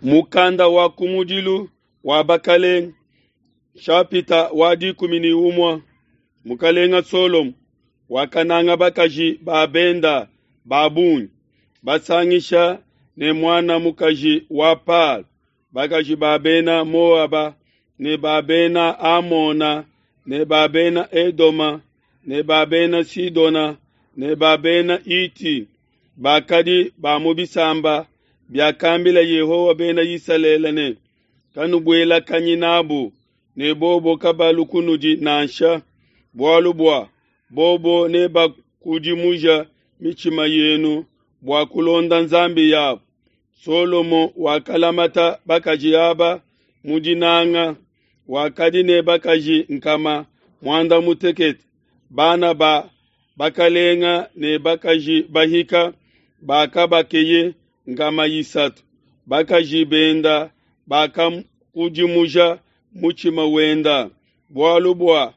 Mukanda wa kumudilu wa Bakalenge, nshapita wa 11. Mukalenga Solomo wakananga bakaji ba benda ba bungi, basangisha ne muana mukaji wa Palo, bakaji ba bena Moaba ne ba bena Amona ne ba bena Edoma ne ba bena Sidona ne ba bena Iti, bakadi ba mu bisamba biakambila Yehowa bena Isalele ne, Kanubuelakanyi nabu, ne bobo kabalu kunudi nansha, bualu bua bobo nebakudimuja mitshima yenu bua kulonda nzambi yabo. Solomo wakalamata bakaji aba mu dinanga, wakadi ne bakaji 160, bana ba bakalenga ne bakaji bahika bakabakeye 300. Bakaji benda bakakudimuja mutshima wenda, bualu bua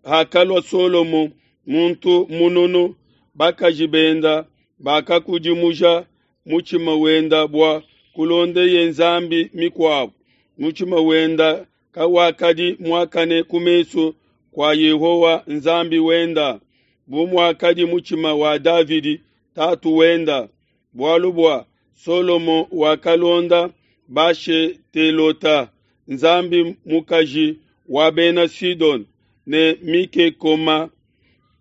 hakalua Solomo muntu mununu, bakaji benda bakakudimuja mutshima wenda bua kulondeye nzambi mikuabo. Mutshima wenda kawakadi muakane ku mesu kua Yehowa Nzambi wenda, bu muakadi mutshima wa Davidi tatu wenda. Bualu bua Solomo wakalonda Bashetelota, nzambi mukaji wa bena Sidone, ne Mikekoma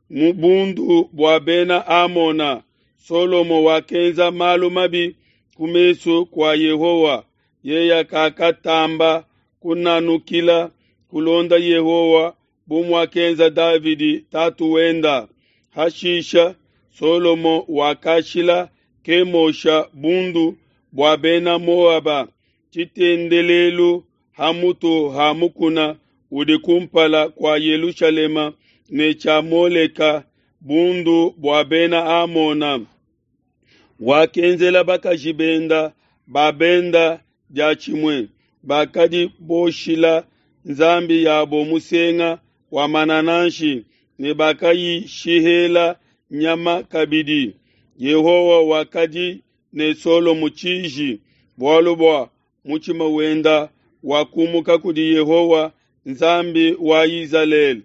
mu bundu bua bena Amona. Solomo wakenza malu mabi ku mesu kua Yehowa, yeye kakatamba kunanukila kulonda Yehowa bu muakenza Davidi tatu wenda. Hashisha Solomo wakashila Kemosha bundu bua bena Moaba tshitendelelu ha mutu ha mukuna udi kumpala kua Yelushalema ne tshia Moleka bundu bua bena Amona. Wakenzela bakaji benda ba benda diatshimue, bakadi boshila nzambi yabo musenga wa manananshi ne bakayishihela nyama kabidi. Yehowa wakadi ne Solomo tshiji, bualu bua mutshima wenda wakumuka kudi Yehowa Nzambi wa Izalele,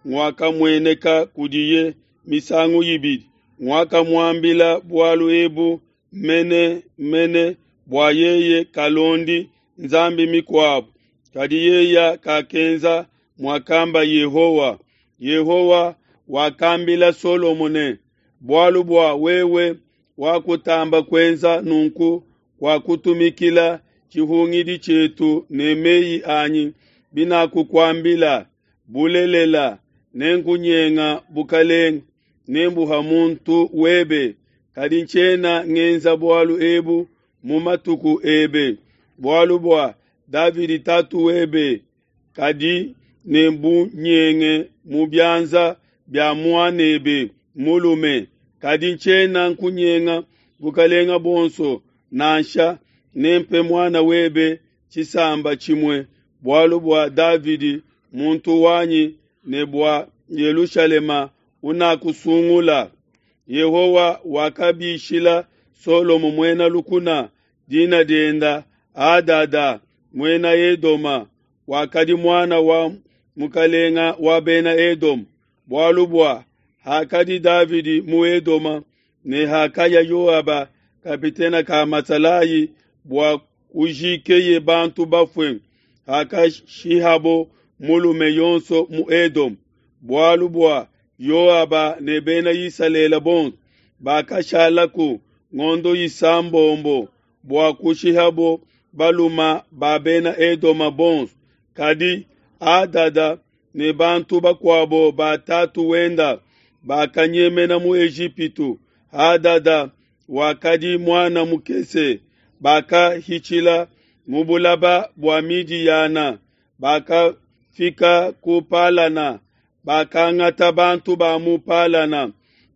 wakamueneka kudiye misangu ibidi, wakamuambila bualu ebu mene mene bua yeye kalondi nzambi mikuabo, kadi yeye kakenza muakamba Yehowa. Yehowa wakambila Solomo ne, bualu bua wewe wakutamba kuenza nunku kwa kutumikila tshihungidi tshietu ne meyi anyi binakukuambila, bulelela nenkunyenga bukalenge, nembuha muntu webe, kadi ntshiena ngenza bualu ebu mu matuku ebe, bualu bua Davidi tatu webe, kadi nembunyenge mu bianza bia muanebe mulume, kadi ntshiena nkunyenga bukalenga buonso nansha, nempe muana webe tshisamba tshimue, bualu bua Davidi muntu wanyi ne bua Yelushalema unakusungula. Yehowa wakabishila Solomo muena lukuna, dina dienda Hadada muena Edoma, wakadi muana wa mukalenga wa bena Edoma, bualu bua hakadi Davidi mu Edoma ne hakaya Yoaba kapitene ka masalayi bua kujikeye bantu bafue, hakashihabo mulume yonso mu Edoma, bualu bua Yoaba ne bena Isalele bonso bakashalaku ngondo isambombo bua kushihabo baluma ba bena Edoma bonso. Kadi Hadada ne bantu bakuabo ba tatu wenda bakanyemena mu Ejipitu. Hadada wakadi muana mukese, bakahitshila mu bulaba bua Midiyana, bakafika ku Palana, bakangata bantu ba mu Palana,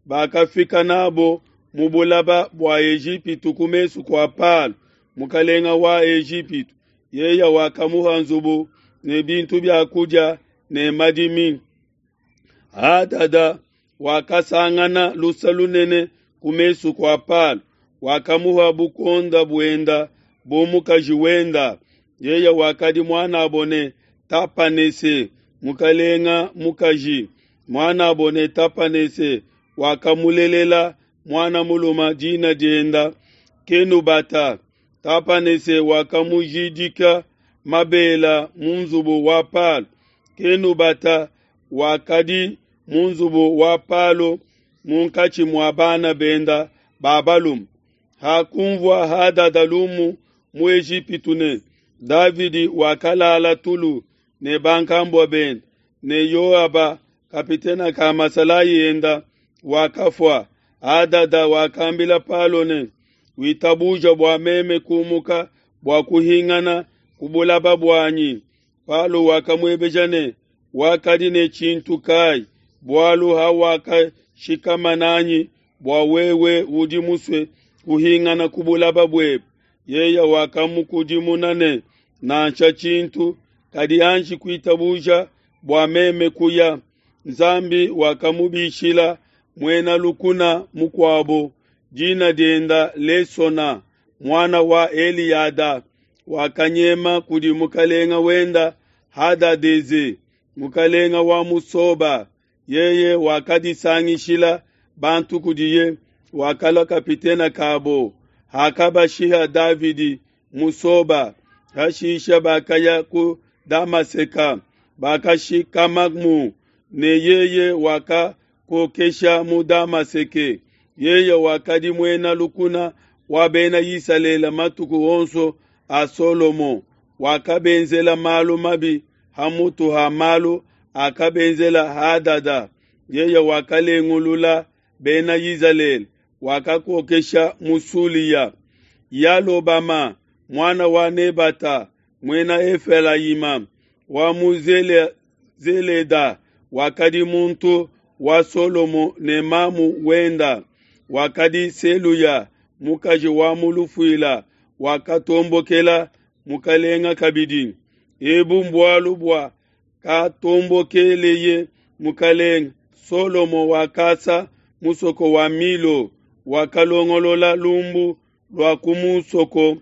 bakafika nabo mu bulaba bua Ejipitu ku mesu kua Palo, mukalenga wa Ejipitu. Yeye wakamuha nzubu ne bintu bia kudia ne madimi. Hadada wakasangana lusa lunene ku mesu kua Palo, wakamuha bukonda buenda. bu mukaji wenda. Yeye wakadi muanabo ne Tapanese mukalenga mukaji. Muanabo ne Tapanese wakamulelela muana mulume dina dienda Kenubata. Tapanese wakamujidika mabela mu nzubu wa Palo. Kenubata wakadi mu nzubu wa Palo munkatshi mua bana benda ba balume. Hakunvua Hadada lumu mu Ejipitu ne Davidi wakalala tulu ne bankambua benda, ne Yoaba kapitena ka masalayi enda wakafua. Hadada wakambila Palo ne, witabuja bua meme kumuka bua kuhingana ku bulaba buanyi. Palo wakamuebeja ne, wakadi ne tshintu kai, bualu hawakashikama nanyi bua wewe udi musue kuhingana ku bulaba buebe? Yeye wakamukudimuna ne, nansha tshintu, kadi anji kuitabuja bua meme kuya. Nzambi wakamubishila muena lukuna mukuabo, dina dienda Lesona, muana wa Eliada, wakanyema kudi mukalenga wenda Hadadeze, mukalenga wa mu Soba. Yeye wakadisangishila bantu kudiye, wakalua kapitena kabo. Hakabashiha Davidi mu Soba, hashisha bakaya ku Damaseka, bakashikamamu, ne yeye wakakokesha mu Damaseke. Yeye wakadi muena lukuna wa bena Isalele matuku onso a Solomo. Wakabenzela malu mabi hamutu ha malu akabenzela Hadada. Yeye wakalengulula bena Isalele, wakakokesha mu Sulia. Yalobama muana wa Nebata, muena Efelayima wa mu Zeleda, wakadi muntu wa Solomo ne mamu wenda. Wakadi Seluya mukaji wa mu lufuila, wakatombokela mukalenga kabidi. Ebu mbualu bua katombokeleye mukalenga. Solomo wakasa musoko wa Milo, wakalongolola lumbu lua ku musoko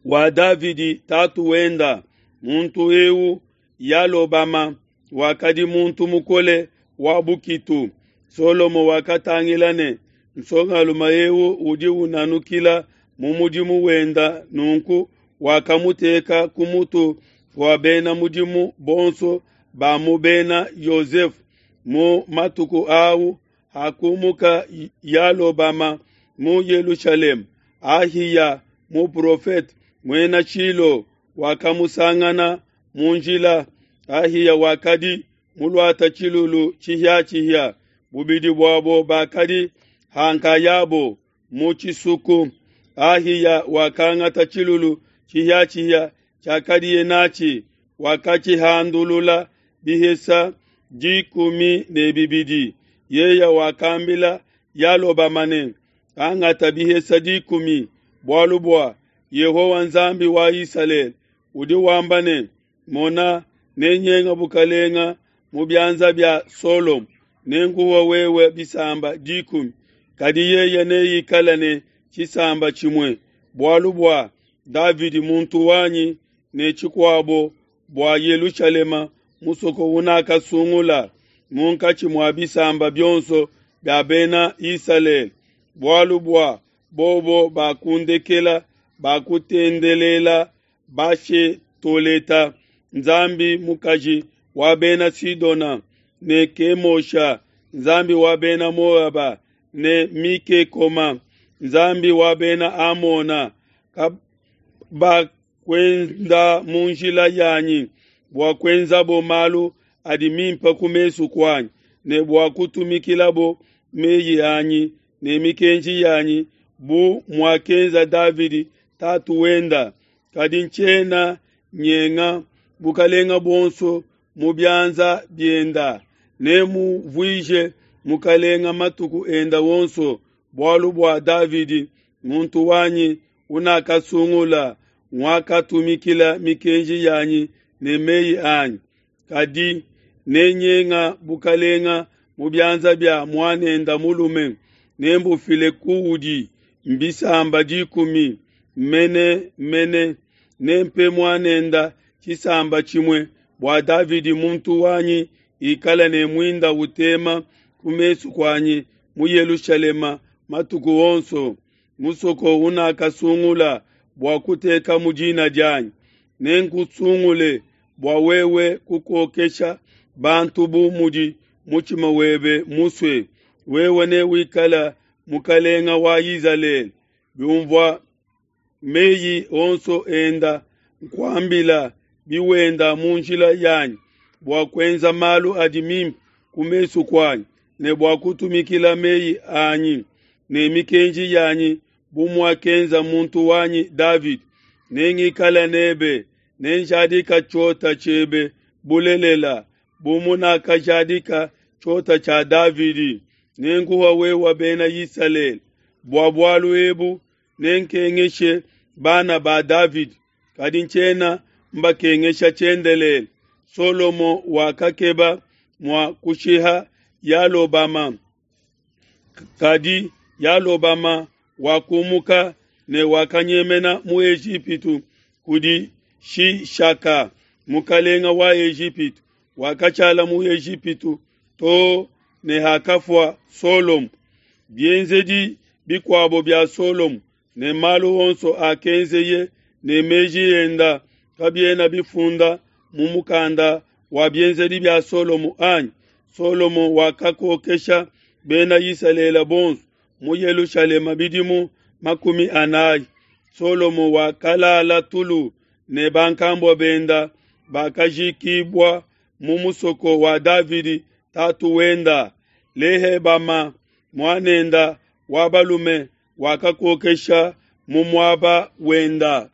wa Davidi tatu wenda. Muntu eu Yalobama wakadi muntu mukole wa bukitu. Solomo wakatangila ne nsongalume eu udi unanukila mu mudimu wenda, nunku wakamuteka ku mutu wa bena mudimu bonso ba mu bena Yosefu. Mu matuku au hakumuka Yalobama mu Yelushalema, Ahiya muprofete muena Shilo wakamusangana mu njila. Ahiya wakadi muluata tshilulu tshihiatshihia, bubidi buabo bakadi hankayabo mu tshisuku. Ahiya wakangata tshilulu tshihiatshihia tshiakadiye natshi, wakatshihandulula bihesa 12. Yeye wakambila Yalobama ne, angata bihesa 10, bualu bua Yehowa Nzambi wa Isalele udi wamba ne, mona, nenyenga bukalenga mu bianza bia Solomo, nenkuwa wewe bisamba 10, kadi yeye neikale ne tshisamba tshimue, bualu bua Davidi muntu wanyi, ne tshikuabo bua Yelushalema musoko unakasungula munkatshi mua bisamba bionso bia bena Isalele, bualu bua bobo bakundekela, bakutendelela Bashetoleta nzambi mukaji wa bena Sidona, ne Kemosha nzambi wa bena Moaba, ne Mikekoma nzambi wa bena Amona. Kabakwenda mu njila yanyi bua kuenzabo malu adi mimpe ku mesu kuanyi, ne bua kutumikilabo meyi anyi ne mikenji yanyi, bu muakenza Davidi tatu wenda. Kadi ntshiena nyenga bukalenga buonso mu bianza bienda, nemuvuije mukalenga matuku enda wonso, bualu bua Davidi muntu wanyi unakasungula, wakatumikila mikenji yanyi ne meyi anyi. Kadi nenyenga bukalenga mu bianza bia muanenda mulume, nembufile kuudi mbisamba 10. mene mene. Nempe muanenda tshisamba tshimue bua Davidi muntu wanyi ikala ne muinda utema ku mesu kuanyi mu Yelushalema matuku onso, musoko unakasungula bua kutekamu dina dianyi. Nenkusungule bua wewe kukokesha bantu bu mudi mutshima webe musue. Wewe newikale mukalenga wa Izalele. Biumvua meyi onso enda nkuambila biwenda mu njila yanyi bua kuenza malu adi mimpe ku mesu kuanyi ne bua kutumikila meyi anyi ne mikenji yanyi bu muakenza muntu wanyi Davidi, nengikale nebe, nenjadika tshiota tshiebe bulelela, bu munakajadika tshiota tshia Davidi. Nenkuha wewe bena Isalele. Bua bualu ebu nenkengeshe bana ba Davidi, kadi ntshiena mbakengesha tshiendelele. Solomo wakakeba mua kushiha Yalobama, kadi Yalobama wakumuka ne wakanyemena mu Ejipitu kudi Shishaka, mukalenga wa Ejipitu. Wakashala mu Ejipitu too ne hakafua Solomo. Bienzedi bikuabo bia Solomo ne malu onso akenzeye ne meji enda kabiena bifunda mu mukanda wa bienzedi bia Solomo anyi? Solomo wakakokesha bena Isalele bonso mu Yelushalema bidimu 40. Solomo wakalala tulu ne bankambua benda, bakajikibua mu musoko wa Davidi tatu wenda. Lehebama muanenda wa balume wakakokesha mu muaba wenda.